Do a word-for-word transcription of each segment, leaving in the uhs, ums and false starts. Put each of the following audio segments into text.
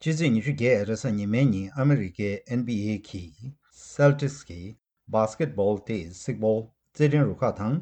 ཕྱི་ཚེས་ཉི་ཤུ་བརྒྱད་རེས་གཟའ་ཉི་མའི་ཉིན་ཨ་མི་རི་ཀའི་N B A་གི་Celtics་གི་Basketball་སྟེ་གཟིག་སྤོལ་རྩེད་འགྲན་རུ་ཁག་དང་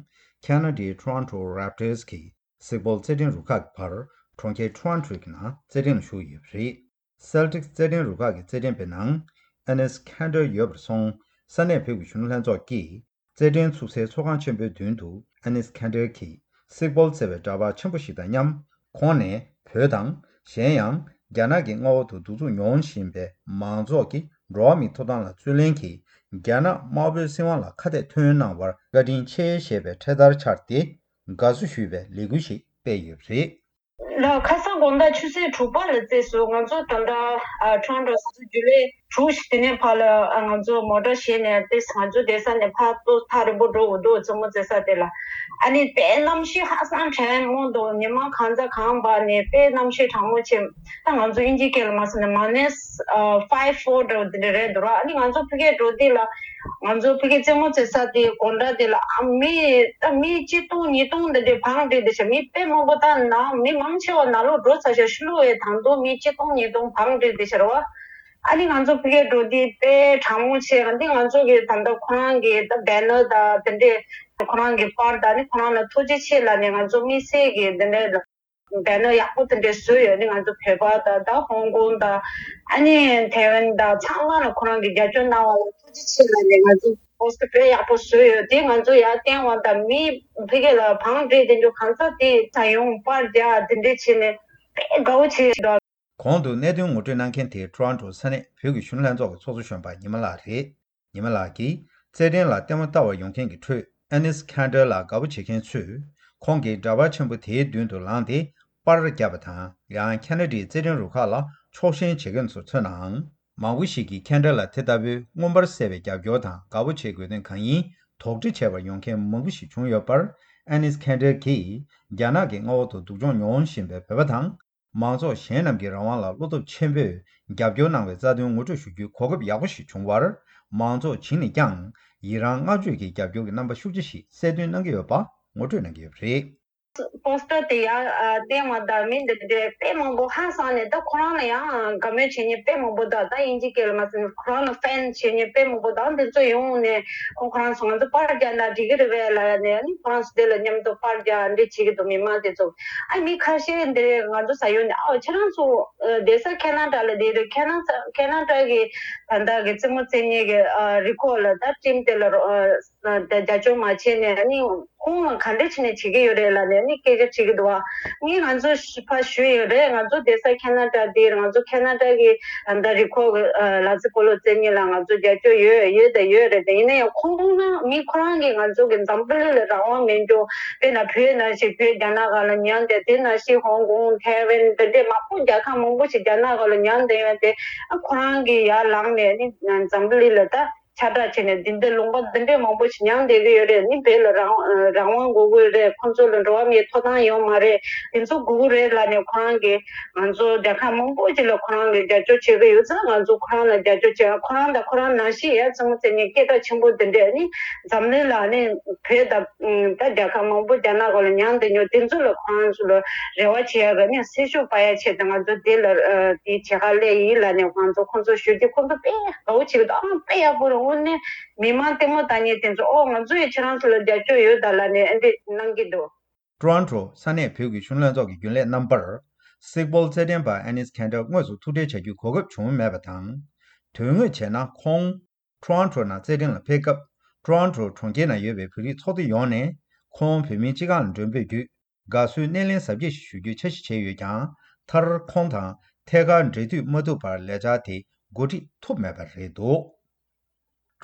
ཁ་ན་ཌའི་Toronto Raptors་གི་གཟིག་སྤོལ་རྩེད་འགྲན་རུ་ཁག་གི་བར་གྲོང་ཁྱེར་Toronto་གི་ནང་རྩེད་འགྲན་ལ་ཞུགས་ཡོད་པ་རེད། Celtics་རྩེད་འགྲན་རུ་ཁག་གི་རྩེད་འགྲན་པའི་ནང་Enes Kanter་ཡོད་པར་སོང་། ས་གནས་བོད་ཀྱི་གཞོན་ནུ་ལྷན་ཚོགས་ཀྱིས་རྩེད་འགྲན་ཚུགས་སའི་ཚོགས་ཁང་ཆེན་པོའི་མདུན་དུ་Enes Kanter་གྱིས་གཟིག་སྤོལ་རྩེ་བའི་འདྲ་པར་ཆེན་པོ་ཞིག་དང་མཉམ། ཁོང་ནས་བོད་དང་གཞན་ཡང་རྒྱ་ནག་གི་མངའ་འོག་ཏུ་གདུག་རྩུབ་མྱོང་བཞིན་པའི་མང་ཚོགས་ཀྱི་འགྲོ་བ་མིའི་ཐོབ་ཐང་ལ་རྩོད་ལེན་གྱིས་རྒྱ་ནག་དམར་པོའི་སྲིད་དབང་ལ་ཁ་གཏད་ཐོན་གནང་བར་བཀའ་དྲིན་ཆེ་ཞེས་པའི་འཕྲེད་དར་འཕྱར་ཏེ་དགའ་བསུ་ཞུས་པའི་ལས་འགུལ་ཞིག་སྤེལ་ཡོད་པ་རེད། ལ་ཁ་སང་དགོང་དག་ཆུ་ཚོད་དྲུག་པ་ལ་བཙས་སོང་། ང་ཚོ་ད་ལྟ་ཨ་Toronto་ས་ཆ་རྒྱུན་ལས་དྲུག་ཞིག་དེ་ནས་ཕར་ལ་ཨ་ང་ཚོ་མོ་ཊ་བཞེས་ནས་ཏེ་ང་ཚོ་བསྡད་ས་ནས་ཕར་ཏོ་ཐག་རིང་པོ་འགྲོ་དགོས་འདུག་རྩེད་མོ་རྩེ་ས་དེ་ལ། ཨ་ནི་དཔེ་གནམ་གཤིས་ཧ་སང་དྲན་མོ་འདུག་ཉི་མ་གང་ཚ་གང་འབར་ནས་དཔེ་གནམ་གཤིས་གྲང་མོ་ཆེ། ད་ང་ཚོ་དབྱིན་ཇིའི་སྐད་ལ་མ་སོང་ན་minus five four་འདྲ་བོ་དེ་འདྲ་རེད་འདུག་ར། ཨ་ནི་ང་ཚོ་ཕ་གིར་འགྲོ་དུས་ལ། ང་ཚོ་ཕ་གི་རྩེད་མོ་རྩེ་ས་དེ་སྒོ་འགྲམ་དེ་ལ་ཨ་མི་ད་མི་གཅིག་སྟོང་ཉིས་སྟོང་འདི་འདྲའི་བང་སྒྲིག་བསྡད་ཤག་མི་དཔེ་མང་པོ་ད་ནང་མི་མང་ཆེ་བ་ནང་ལོགས་འགྲོ་ཚར་ཤག་ཕྱི་ལོགས་ཡ་དང་དུ་མི་གཅིག་སྟོང་ཉིས་སྟོང་བང་སྒྲིག་བསྡད་ཤག་རེད་བ། ཨ་ནི་ང་ཚོ་ཕ་གིར་འགྲོ་དུས་དཔེ་གྲང་མོ་ཆེ་ག་འདི་ང་ཚོ་གི་ད་ལྟ་ཁོ་རང་གི་ད་banner་ད་དེ་འདྲས་ཁོ་རང་གི་པར་ད་ནི་ཁོ་རང་ལ་ཐུགས་རྗེ་ཆེ་ལབ་ནས་ང་ཚོ་དམིགས་བསལ་གི་དེ་འདྲས་ད། banner་ཡག་པོ་དེ་འདྲས་བཟོས་ཡོད་ནི་ང་ཚོ་བོད་པ་དང་ད་ཧོང་ཀོང་དང་ཨ་ནི་ཐའེ་ཝན་དང་ཚང་མ་ལ་ཁོ་རང་གི་རྒྱབ་སྐྱོར་གནང་བ་ལ་ཐུགས་རྗེ་ཆེ་ལབ་ནས་ང་ཚོ་poster་དཔེ་ཡག་པོ་བཟོས་ཡོད་དེ་ང་ཚོ་ཡར་བསྟན་བ་དང་མི་ཕ་གི་ལ་བང་སྒྲིག་དེ་འདྲ་གང་ས་དེ་ད་ཡོང་པར་རྒྱག་དེ་འདྲས་བྱས་ནས་དཔེ་དགའ་བོ་བྱས་ཤག་གོང་དུ་གནད་དོན་ངོ་སྤྲོད་གནང་མཁན་དེ་Toronto་ས་གནས་བོད་ཀྱི་གཞོན་ནུ་ལྷན་ཚོགས་ཀྱི་ཚོགས་གཙོ་གཞོན་པ་ཉི་མ་ལགས་རེད། ཉི་མ་ལགས་ཀྱིས་རྩེད་འགྲན་ལ་ལྟད་མོ་ལྟ་བར་ཡོང་མཁན་གྱི་ཁྲོད་Enes Kanter་ལ་དགའ་པོ་བྱེད་མཁན་ཚོས་ཁོང་གི་འདྲ་པར་ཆེན་པོ་དེའི་མདུན་དུ་ལངས་ཏེ་པར་བརྒྱབ་པ་དང་། ཡང་ཁ་ན་ཌའི་རྩེད་འགྲན་རུ་ཁག་ལ་ཕྱོགས་ཞེན་བྱེད་མཁན་ཚོར་མཚོན་ནའང་། མང་པོ་ཞིག་གིས་Kanter་ལ་དེ་ལྟ་བུའི་མངོན་པར་གསལ་བའི་རྒྱབ་སྐྱོར་དང་དགའ་པོ་བྱེད་དགོས་དོན་གང་ཡིན་དོགས་འདྲི་བྱེད་པར་ཡོང་མཁན་མང་པོ་ཞིག་བྱུང་ཡོད་པར། Enes Kanter་གྱིས་རྒྱ་ནག་གི་མངའ་འོག་ཏུ་སྡུག་སྦྱོང་མྱོང་བཞིན་པའི་བོད་པ་དང་། མང་ཚོགས་གཞན་རྣམས་ཀྱི་རང་དབང་ལ་བློ་སྟོབས་ཆེན་པོས་རྒྱབ་སྐྱོར་གནང་བའི་རྩ་དོན་ངོ་སྤྲོད་ཞུ་རྒྱུའི་གོ་སྐབས་ཡག་པོ་ཞིག་བྱུང་བར། མང་ཚོགས་བྱིངས་ནས་ཀྱང་ཡི་རང་བསྔགས་བརྗོད་ཀྱི་རྒྱབ་སྐྱོར་གྱི་རྣམ་པ་ཤུགས་ཆེ་ཞིག་གསལ་སྟོན་གནང་གི་ཡོད་པ་ངོ་སྤྲོད་གནང་གི་ཡོད་པ་རེད། poster་དེ་ཡར་བསྟན་བ་དང་མི་འདི་འདྲའི་དཔེ་མང་པོ་ཧང་སངས་ནས་ད་ཁོ་རང་ལ་ཡང་དགའ་མོས་བྱེད་མཁན་དཔེ་མང་པོ་དང་ད་དབྱིན་ཇིའི་སྐད་ལ་མ་ཟིན་ཁོ་རང་ལ་ཕེན་བྱེད་མཁན་དཔེ་མང་པོ་དང་འདི་ཚོ་ཡོང་ནས་ཁོ་ཁོ་རང་ཚོ་ང་ཚོ་པར་རྒྱག་ན་འགྲིག་གི་རེད་པས་ལབ་ནས་ཨ་ནི་ཁོ་རང་ཚོ་དེ་ལ་མཉམ་དུ་པར་རྒྱག་འདི་བྱེད་ཀྱི་འདུག་མི་མང་དེ་ཚོ། ཨ་མི་ཁ་ཤས་འདི་ང་ཚོ་ས་ཡོང་ནས་ཨ་ཁྱེད་རང་ཚོ་བསྡད་ས་ཁེ་ན་ཌ་ལ་བསྡད་རེད། ཁེ་ན་ཁེ་ན་ཌ་གི་ད་ལྟ་གི་རྩེད་མོ་རྩེ་མཁན་གི་རི་ཁོག་ལ་ད་ཊིམ་དེ་ལ་རོགས་རྒྱབ་སྐྱོར་མ་བྱས་ནས་ཨ་ནི་ཁོང་ལ་ག་འདྲ་བྱས་ནས་བྱེད་ཀྱི་ཡོད་རེད་ལབ་ནས་ཨ་ནི་སྐད་ཆ་དྲིས་ཀྱི་འདུག་བ། ངས་ང་ཚོ་ཕར་ཞུས་ཡོད་རེད། ང་ཚོ་བསྡད་ས་ཁེ་ན་ཌ་འདིར་ང་ཚོ་ཁེ་ན་ཌ་གི་ད་ལྟ་རི་ཁོག་གི་ལག་རྩེད་སྤོ་ལོ་རྩེ་མཁན་ལ་ང་ཚོ་རྒྱབ་སྐྱོར་ཡོད་ཡོད་དང་ཡོད་རེད། དེ་ཡིན་ན་ཡང་ཁོང་ན་མི་ཁོ་རང་གིས་ང་ཚོ་གི་འཛམ་བུ་གླིང་ལ་རང་དབང་མེད་འགྲོ། དཔེར་ན་བོད་ནང་བཞིན་བོད་རྒྱ་ནག་སྒང་ལ་ཉར་བསྡད་དེ་ནང་བཞིན་ཧོང་ཀོང་ཐའེ་ཝན་དེ་འདྲས་མང་པོ་རྒྱལ་ཁབ་མང་པོ་ཞིག་རྒྱ་ནག་སྒང་ལ་ཉར་བསྡད་ཡོད་དེ་ཨ་ཁོ་རང་གིས་ཡར་ལངས་ནས་ནི་འཛམ་བུ་གླིང་ལ་ད། ཁྱབ་བསྒྲགས་བྱས་ནས་འདི་འདྲའི་ལུང་པ་འདི་འདྲའི་མང་པོ་ཞིག་ཉར་བསྡད་ཀྱི་ཡོད་རེད། ནི་བོད་ལ་རང་རང་དབང་དགོས་ཀྱི་རེད། ཁོང་ཚོ་ལ་འགྲོ་བ་མིའི་ཐོབ་ཐང་ཡོད་མ་རེད། དེ་ཚོ་དགོས་ཀྱི་རེད་ལབ་ནས་ཁོ་རང་གིས་ང་ཚོ་རྒྱལ་ཁབ་མང་པོ་ཞིག་ལ་ཁོ་རང་གིས་རྒྱབ་སྐྱོར་བྱེད་ཀྱི་ཡོད་ཙང་ང་ཚོ་ཁོ་རང་ལ་རྒྱབ་སྐྱོར་བྱེད། ཁོ་རང་དང་ཁོ་རང་ནང་བཞིན་ཡ་རྩེད་མོ་རྩེ་མཁན་སྐད་གྲགས་ཆེན་པོ་འདི་འདྲས་ནི་འཛམ་གླིང་ལ་ནི་བོད་དང་ད་རྒྱལ་ཁབ་མང་པོ་རྒྱ་ནག་སྒང་ལ་ཉར་བསྡད་མྱོང་དེ་ཚོ་ལ་ཁོ་རང་ཚོ་ལ་རེ་བ་བྱེད་ཡ་ག་ནི་སེམས་ཤུགས་སྤར་ཡ་ཆེད་དུ་ང་ཚོ་དེ་ལ་དེ་བྱེད་ག་སླེབས་ཡིན་ལབ་ནས་ང་ཚོ་ཁོང་ཚོ་ཞུ་རྒྱུ་ཁོང་ཚོ་དཔེ་དགའ་བོ་བྱེད་ཀྱི་འདུག་ཨང་དཔེ་ཡག་པོ་རེད། དངོས་གནས། མི་མང་ལྟད་མོ་ལྟ་མཁན་དེ་ཚོ་ཨོ་ང་ཚོ་ཡི་ཁྱེད་རང་ཚོ་ལ་རྒྱབ་སྐྱོར་ཡོད་ད་ལབ་ནས་ཨ་འདྲས་གནང་གི་འདུག Toronto་ས་གནས་བོད་ཀྱི་གཞོན་ནུ་ལྷན་ཚོགས་ཀྱི་རྒྱུན་ལས་རྣམ་པར་གཟིགས་སྤོལ་རྩེད་འགྲན་པ་Enes Kanter་དངོས་སུ་ཐུག་འཕྲད་བྱ་རྒྱུའི་གོ་སྐབས་བྱུང་མེད་པ་དང་། དོན་དངོས་བྱས་ན་ཁོང་Toronto་ནང་རྩེད་འགྲན་ལ་ཕེབས་སྐབས་Toronto་གྲོང་ཁྱེར་ནང་ཡོད་པའི་བོད་རིགས་ཚོགས་སྡེ་ཡོངས་ནས་ཁོང་བོད་མིའི་སྤྱི་ཁང་ལ་མགྲོན་འབོད་བརྒྱུད་དགའ་བསུའི་སྣེ་ལེན་གཟབ་རྒྱས་ཤིག་ཞུ་རྒྱུའི་འཆར་གཞི་བྱས་ཡོད་ཀྱང་མཐར་ཁོང་དང་ཐད་ཀར་འབྲེལ་མཐུད་མ་ཐུབ་པར་ལས་འཆར་དེ་འགོ་ཁྲིད་ཐུབ་མེད་པ་རེད་འདུག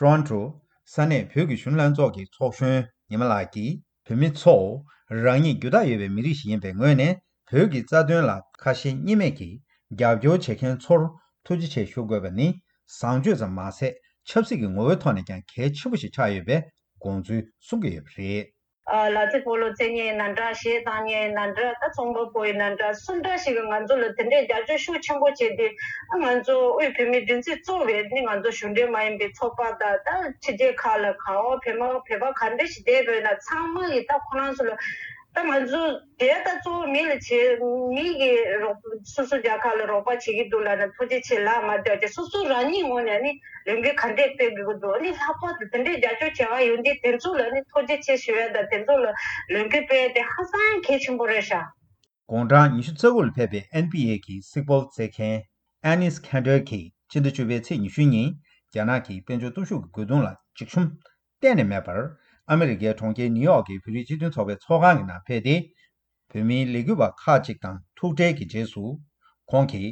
Toronto་ས་གནས་བོད་ཀྱི་གཞོན་ནུ་ལྷན་ཚོགས་ཀྱི་ཚོགས་གཞོན་ཉི་མ་ལགས་ཀྱིས་བོད་མི་ཚོ་རང་ཉིད་རྒྱུ་དག་ཡོད་པའི་མི་རིགས་ཤིག་ཡིན་པའི་ངོས་ནས་བོད་ཀྱི་རྩ་དོན་ལ་ཁ་ཞེ་གཉིས་མེད་ཀྱིས་རྒྱབ་སྐྱོར་བྱེད་མཁན་ཚོར་ཐུགས་རྗེ་ཆེ་ཞུ་དགོས་པ་ནི་བཟང་སྤྱོད་ཙམ་མ་ཟད་ཆབ་སྲིད་ཀྱི་ངོ་བོའི་ཐོག་ནས་ཀྱང་གལ་ཆེན་པོ་ཞིག་ཆགས་ཡོད་པའི་དགོངས་ཚུལ་གསུང་གི་ཡོད་པ་རེད། ལག་རྩེད་སྤོ་ལོ་རྩེད་མཁན་ཡིན་ན་འདྲ། གཞས་བཏང་མཁན་ཡིན་ན་འདྲ། ད་ཚོང་པ་པོ་ཡིན་ན་འདྲ། སུ་འདྲ་ཞིག་གིས་ང་ཚོ་ལ་དེ་འདྲའི་རྒྱབ་སྐྱོར་ཤུགས་ཆེན་པོ་བྱས་ཏེ་ང་ཚོ་དབུས་བོད་མིའི་སྒྲིག་འཛུགས་གཙོ་བའི་ནི་ང་ཚོ་གཞུང་འབྲེལ་མ་ཡིན་པའི་ཚོགས་པ་དང་ད་ཕྱི་རྒྱལ་ཁག་ལ་གང་འོ་བོད་མ་བོད་པ་ག་འདྲ་ཞིག་བསྡད་པ་ཡིན་ན་ཚང་མ་གིས་ད་ཁོ་རང་ཚོ་ལ་ ད་ང་ཚོ་དེ་ད་གཙོ་བོ་མི་ལ་བྱེད། མི་གི་རོགས། སོ་སོ་རྒྱལ་ཁབ་ལ་རོགས་པ་བྱེད་ཀྱི་འདུག་ལབ་ན་ཐུགས་རྗེ་ཆེ་ལབ་མ་བསྡད་དེ། སོ་སོ་རང་ཉིད་ངོས་ནས་ནི་ལས་འགུལ་ག་འདྲས་སྤེལ་དགོས་ཀྱི་འདུག་ཨ་ནི་ལྷག་པར་དུ་དེ་འདྲས་རྒྱབ་སྐྱོར་བྱེད་མཁན་ཡོད་དུས་དེ་ཚོ་ལ་ནི་ཐུགས་རྗེ་ཆེ་ཞུ་ཡ་དང་། དེ་ཚོ་ལ་ལས་འགུལ་སྤེལ་ཡ་དེ་ཧ་ཅང་གལ་ཆེན་པོ་རེད་ཤག་དགུང་གྲངས་ཉི་ཤུ་རྩ་དགུ་ལ་ཕེབས་པའི་ཨེན་བྷི་ཨེ་གི་སིག་པོལ་རྩེད་མཁན་ཨེ་ནིས་ཁན་ཏེར་གྱིས་ཕྱི་ཟླ་བཅུ་པའི་ཚེས་ཉི་ཤུ་ཉིན་རྒྱ་ནག་གི་དཔལ་འབྱོར་སྟོབས་ཤུགས་ཀྱི་རྒོལ་རྡུང་ལ་འཇིགས་ཞུམ་གཏན་ནས་མེད་པར། ཨ་མི་རི་ཀའི་གྲོང་ཁྱེར་ནིའུ་ཡོག་གི་བོད་རིགས་སྤྱི་མཐུན་ཚོགས་པའི་ཚོགས་ཁང་གི་ནང་ཕེབས་ཏེ། བོད་མིའི་ལས་འགུལ་བ་ཁག་ཅིག་དང་ཐུག་འཕྲད་ཀྱི་རྗེས་སུ། ཁོང་གིས་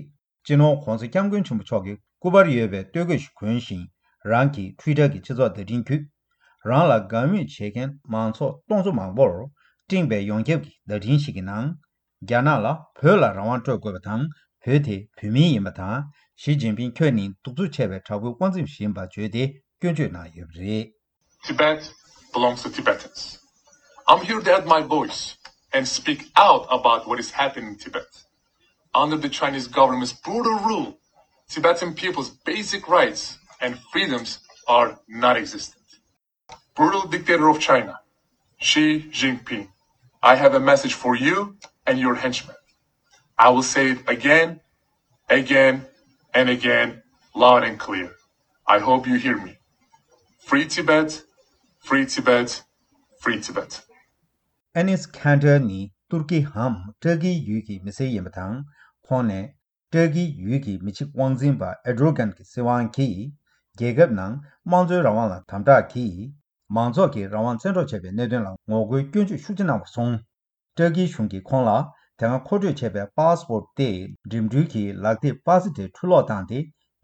སྤྱི་ནོར་༧གོང་ས་༧སྐྱབས་མགོན་ཆེན་པོ་མཆོག་གི་སྐུ་པར་ཡོད་པའི་སྟོད་གོས་ཤིག་གོན་ཞིང་། རང་གི་ཊུའི་ཊར་གྱི་སྤྱི་ཚོགས་བརྡ་འཕྲིན་བརྒྱུད། རང་ལ་དགའ་མོས་བྱེད་མཁན་མང་ཚོགས་སྟོང་ཚོ་མང་པོར་སྤྲིངས་པའི་ཡོངས་ཁྱབ་ཀྱི་བརྡ་འཕྲིན་ཞིག་གི་ནང་། རྒྱ་ནག་ལ་བོད་ལ་རང་དབང་སྤྲོད་དགོས་པ་དང་། བོད་དེ་བོད་མིའི་ཡིན་པ་དང་། ཞི་ཅིན་ཕིང་ཁྱོད་ནི་གདུག་རྩུབ་ཆེ་བའི་དྲག་པོའི་དབང་འཛིན་ཞིག་ཡིན་པ་བརྗོད་དེ་སྐྱོན་བརྗོད་གནང་ཡོད་པ་རེད། Tibet belongs to Tibetans. I'm here to add my voice and speak out about what is happening in Tibet. Under the Chinese government's brutal rule, Tibetan people's basic rights and freedoms are non-existent. Brutal dictator of China, Xi Jinping, I have a message for you and your henchmen. I will say it again, again, and again, loud and clear. I hope you hear me. Free Tibet, free Tibet, free Tibet. ཨེ་ནིས་ཁན་ཏེར་ནི་ཏུར་ཀི་འམ་ཏྲ་ཀིའི་ཡུལ་གྱི་མི་སེར་ཡིན་པ་དང་། ཁོང་ནས་ཏྲ་ཀིའི་ཡུལ་གྱི་མི་གཅིག་དབང་འཛིན་པ་ཨེར་ཌོ་གྷན་གྱི་སྲིད་དབང་གིས་རྒྱལ་ཁབ་ནང་དམངས་གཙོའི་རང་དབང་ལ་དམ་དྲག་གིས། མང་ཚོགས་ཀྱི་རང་དབང་བཙན་འཕྲོག་བྱས་པའི་གནད་དོན་ལ་ངོ་རྒོལ་སྐྱོན་བརྗོད་ཤུགས་ཆེ་གནང་བར་སོང་། ཏྲ་ཀིའི་གཞུང་གིས་ཁོང་ལ་དེ་སྔ་མཁོ་སྤྲོད་བྱས་པའི་པཱ་སི་པོར་ཊི་དེ་འགྲིམ་འགྲུལ་གྱི་ལག་དེབ་པ་ཙི་ཏྲའི་འཕྲུ་སློག་བཏང་སྟེ་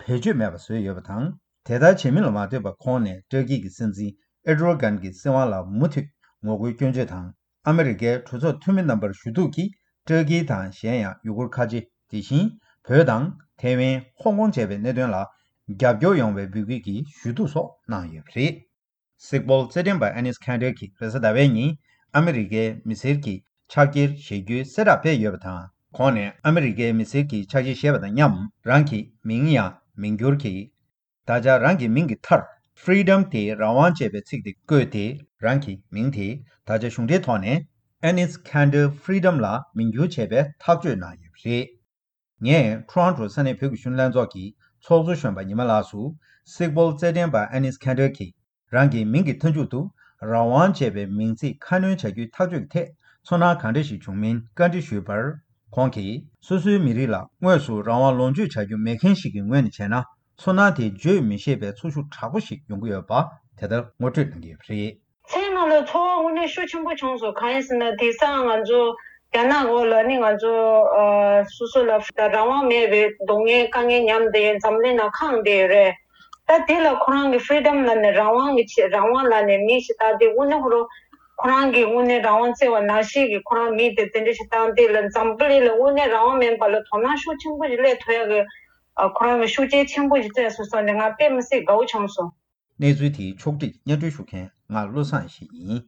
བེད་སྤྱོད་མེད་པ་བཟོས་ཡོད་པ་དང་། དེ་ལྟར་བྱེད་མིན་ལ་མ་ལྟོས་པར་ཁོང་ནས་ཏྲ་ཀི་གི་སྲིད་འཛིན་ཨེར་ཌོ་གྷན་གྱི་སྲིད་དབང་ལ་མུ་མཐུད་ངོ་རྒོལ་སྐྱོན་བརྗོད་དང་། ཨ་མི་རི་ཀའི་གྲོས་ཚོགས་འཐུས་མི་རྣམ་པར་ཞུ་གཏུག་གིས་ཏྲ་ཀི་དང་གཞན་ཡང་ཡུ་གུར་ཁ་ཆེ། དེ་བཞིན་བོད་དང་ཐེ་ཝན། ཧོང་ཀོང་བཅས་པའི་གནད་དོན་ལ་རྒྱབ་སྐྱོར་ཡོང་བའི་འབོད་སྐུལ་གྱི་ཞུ་གཏུག་སོགས་གནང་ཡོད་པ་རེད། སིག་པོལ་རྩེད་འགྲན་པ་ཨེ་ནིས་ཁན་ཏེར་གྱིས་རེས་གཟའ་ཟླ་བའི་ཉིན་ཨ་མི་རི་ཀའི་མི་སེར་གྱི་ཕྱག་འཁྱེར་བཞེས་རྒྱུའི་གསལ་བསྒྲགས་སྤེལ་ཡོད་པ་དང་། ཁོང་ནས་ཨ་མི་རི་ཀའི་མི་སེར་གྱི་ཕྱག་འཁྱེར་བཞེས་པ་དང་མཉམ་རང་གི་མིང་ཡང་མིང་བསྒྱུར་གྱིས། ད་ཆ་རང་གི་མིང་གི་མཐར་Freedom དེ་རང་དབང་ཅེས་པའི་ཚིག་དེ་བཀོད་དེ། རང་གི་མིང་དེ་ད་ཆ་གཞུང་འབྲེལ་ཐོག་ནས་ཨེ་ནིས་ཁན་ཏེར་Freedom ལ་མིང་བསྒྱུར་བྱས་པའི་ཐག་གཅོད་གནང་ཡོད་པ་རེད། ངས་ཊོ་རོན་ཊོ་ས་གནས་བོད་ཀྱི་གཞོན་ནུ་ལྷན་ཚོགས་ཀྱི་ཚོགས་གཙོ་གཞོན་པ་ཉི་མ་ལགས་སུ། སིག་པོལ་རྩེད་འགྲན་པ་ཨེ་ནིས་ཁན་ཏེར་གྱིས་རང་གི་མིང་གི་མཐའ་མཇུག་ཏུ་རང་དབང་ཅེས་པའི་མིང་ཚིག་ཁ་སྣོན་བྱ་རྒྱུའི་ཐག་གཅོད་ཀྱི་ཐད་ཚོར་སྣང་གང་འདྲ་ཞིག་བྱུང་མིན་བཀའ་འདྲི་ཞུས་པར། ཁོང་གིས་སོ་སོའི་མི་རིགས་ལ་དངོས་སུ་རང་དབང་ལོངས་སྤྱོད་བྱ་རྒྱུ་མེད་མཁན་ཞིག་གི་ངོས་ནས་བྱས་ན། ཚོར་སྣང་དེ་བརྗོད་མི་ཤེས་པའི་ཚོར་ཤུགས་དྲག་པོ་ཞིག་ཡོང་གི་ཡོད་པ་དེ་ལྟར་ངོ་སྤྲོད་གནང་གི་ཡོད་པ་རེད། སེམས་ནང་ལ་ཚོར་བ་དངོས་གནས་ཤུགས་ཆེན་པོ་བྱུང་སོང་། གང་ཡིན་ཟེར་ན་དེང་སང་ང་ཚོ་རྒྱ་ནག་འོག་ལ་ནི་ང་ཚོ་ཨ་སོ་སོ་ལ་རང་དབང་མེད་པའི་སྡུག་བསྔལ་དཀའ་ངལ་མཉམ་དེ་འཛམ་གླིང་ནང་ཁེངས་བསྡད་ཡོད་རེད། ད་དེ་ལ་ཁོ་རང་གི་Freedom ལབ་ནས་རང་དབང་གི་ཆེད། རང་དབང་ལབ་ནས་མི་ཞིག་བཏང་སྟེ་དངོས་གནས་ཁོ་རང་ཁོ་རང་གི་དངོས་གནས་རང་དབང་བརྩི་བ་ནང་བཞིན་གྱི་ཁོ་རང་མི་དེ་དེ་འདྲ་ཞིག་བཏང་སྟེ་ལ་འཛམ་བུ་གླིང་ལ་དངོས་གནས་རང་དབང་མེད་པ་ལ་དོ་སྣང་ཤུགས་ཆེན་པོ་ཞིག་སླེབས་ཐུབ་ཡག་གི་ཨ་ཁོ་རང་གི་ཤུགས་རྐྱེན་ཆེན་པོ་ཞིག་བསྩལ་སོང་ཟེར་ནས་ང་དཔེ་མི་སྲིད་དགའ་བོ་བྱུང་སོང་། གནས་ཚུལ་དེའི་ཕྱོགས་བསྒྲིགས་སྙན་སྒྲོན་ཞུ་མཁན་ང་བློ་བཟང་ཡེ་ཤེས་ཡིན།